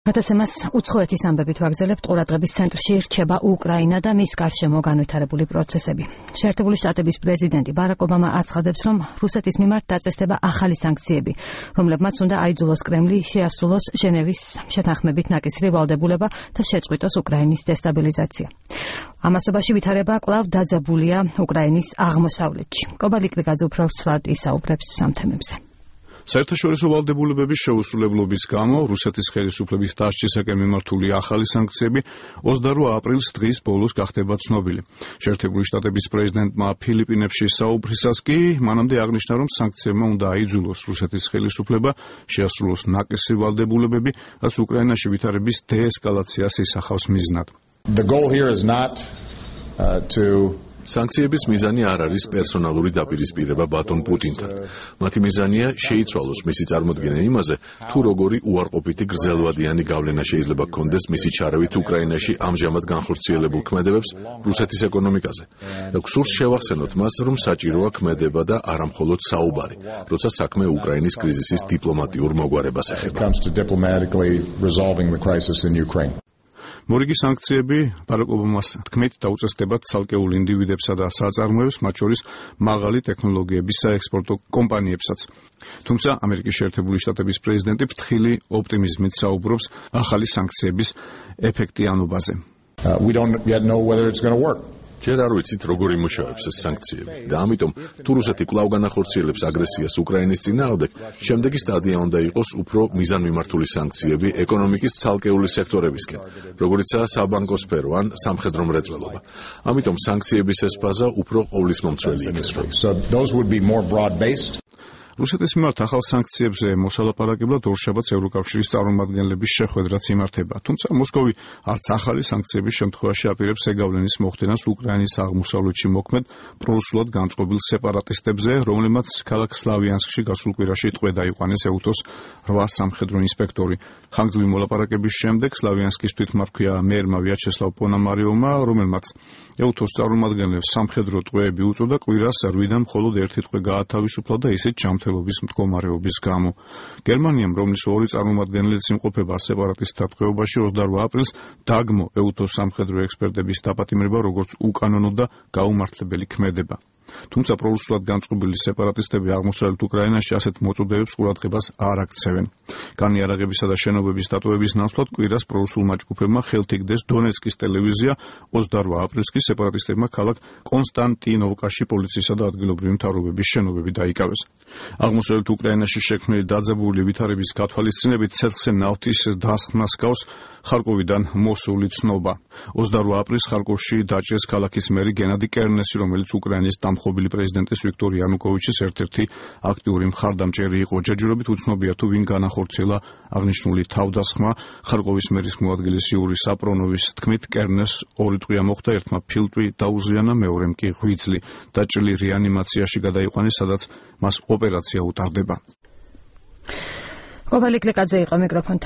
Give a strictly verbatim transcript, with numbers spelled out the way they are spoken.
გადაცემას უცხოეთის ამბებით ვაგრძელებთ. ყურადღების ცენტრში რჩება უკრაინა და მის გარშემო განვითარებული პროცესები. შეერთებული შტატების პრეზიდენტი ბარაკ ობამა აცხადებს, რომ რუსეთის მიმართ დაწესდება ახალი სანქციები, რომლებმაც უნდა აიძულოს კრემლი შეასრულოს ჟენევის შეთანხმებით ნაკისრი ვალდებულება და შეწყვიტოს უკრაინის დესტაბილიზაცია. ამასობაში ვითარება კვლავ დაძაბულია უკრაინის აღმოსავლეთში. კობალიკლიკაძე უფრო ცვლად ისაუბრებს ამ თემებზე. საერთაშორისო ვალდებულებების შეუსრულებლობის გამო რუსეთის ხელისუფლების დასჯისაკენ მიმართული ახალი სანქციები ოცდაორი აპრილის დღის ბოლოს გახდება ცნობილი. შეერთებული შტატების პრეზიდენტმა ფილიპინებში საუბრისას კი მანამდე აღნიშნა, რომ სანქციებმა უნდა აიძულოს რუსეთის ხელისუფლება შეასრულოს ნაკისრი ვალდებულებები, რაც უკრაინაში ვითარების დეესკალაციას ისახავს მიზნად. The goal here is not uh, to სანქციების მიზანი არ არის პერსონალური დაპირისპირება ბატონ პუტინთან. მათი მიზანია შეიცვალოს მისი წარმოდგენა იმაზე, თუ როგორი უარყოფითი გრძელვადიანი გავლენა შეიძლება გქონდეს მისი ჩარავით უკრაინაში ამჟამად განხორციელებულ ქმედებებს რუსეთის ეკონომიკაზე. და გსურს შევახსენოთ მას, რომ საჭიროა ქმედება და არა მხოლოდ საუბარი, როცა საქმე უკრაინის კრიზისის დიპლომატიურ მოგვარებას ეხება. მორიგი სანქციები ბარაკ ობამას თქმით დაუწესდებათ ცალკეულ ინდივიდებსა და საწარმოებს, მათ შორის მაღალი ტექნოლოგიების საექსპორტო კომპანიებსაც. თუმცა ამერიკის შეერთებული შტატების პრეზიდენტი ფრთხილი ოპტიმიზმით საუბრობს ახალი სანქციების ეფექტიანობაზე. uh, we don't yet know whether it's going to work. ჯერ არ ვიცით, როგორ იმუშავებს ეს სანქციები და ამიტომ თუ რუსეთი კვლავ განახორციელებს აგრესიას უკრაინის წინააღმდეგ, შემდეგი სტადია უნდა იყოს უფრო მიზანმიმართული სანქციები ეკონომიკის ცალკეული სექტორებისკენ, როგორიცაა საბანკო სფერო ან სამხედრო მრეწველობა. ამიტომ სანქციების ეს ფაზა უფრო ყოვლისმომცველი იქნება. So those would be more broad-based. რუსეთის მიმართ ახალ სანქციებზე მოსალაპარაკებლად ორშაბათს ევროკავშირის წარმომადგენლების შეხვედრაც იმართება. თუმცა მოსკოვი არც ახალი სანქციების შემთხვევაში აპირებს ეგავლენის მოხდენას უკრაინის აღმოსავლეთში მოქმედ პრორუსულად განწყობილ სეპარატისტებზე, რომლებმაც ქალაქ სლავიანსკში გასულ კვირაში ტყვე დაიყვანეს ეუთოს რვა სამხედრო ინსპექტორი. ხანგრძლივი მოლაპარაკების შემდეგ სლავიანსკის თვითმარქვია მერმა ვიაჩესლავ პონამარიოვმა, რომელმაც ეუთოს წარმომადგენლებს სამხედრო ტყვეები უწოდა, კვირას რვიდან მხოლოდ ერთი ტყვე გაათავისუფლა და ისიც ჯანმრთელობის მდგომარეობის გამო. გერმანიამ, რომლის ორი წარმომადგენლიც იმყოფება სეპარატისტთა ტყვეობაში, ოცდაორი აპრილს დაგმო ეუთოს სამხედრო ექსპერტების დაპატიმრება როგორც უკანონო და გაუმართლებელი ქმედება. თუმცა პრორუსულად განწყობილი სეპარატისტები აღმოსავლეთ უკრაინაში ასეთ მოწოდებებს ყურადღებას არ აქცევენ. განიარაღებისა და შენობების დატოვების ნაცვლად კვირას პრორუსულმა ჯგუფებმა ხელთ იგდეს დონეცკის ტელევიზია, ოცდაორი აპრილს კი სეპარატისტებმა ქალაქ კონსტანტინოვკაში პოლიციისა და ადგილობრივი მთავრობების შენობები დაიკავეს. აღმოსავლეთ უკრაინაში შექმნილი დაძაბული ვითარების გათვალისწინებით ცეცხლზე ნავთის დასხმას გავს ხარკოვიდან მოსული ცნობა. ოცდაორი აპრილს ხარკოვში დაჭრეს ქალაქის მერი გენადი კერნესი, რომელიც უკრაინის დამხობილი პრეზიდენტის ვიქტორ იანუკოვიჩის ერთ-ერთი აქტიური მხარდამჭერი იყო. ჯერჯერობით უცნობია თუ ვინ განახორციელა აღნიშნული თავდასხმა. ხარკოვის მერის მოადგილის იური საპრონოვის თქმით, კერნეს ორი ტყვია მოხდა, ერთმა ფილტვი დაუზიანა, მეორემ კი ღვიძლი. დაჭრილი რეანიმაციაში გადაიყვანეს, სადაც მას ოპერაცია უტარდება. კობალიკლიკაძე იყო მიკროფონთან.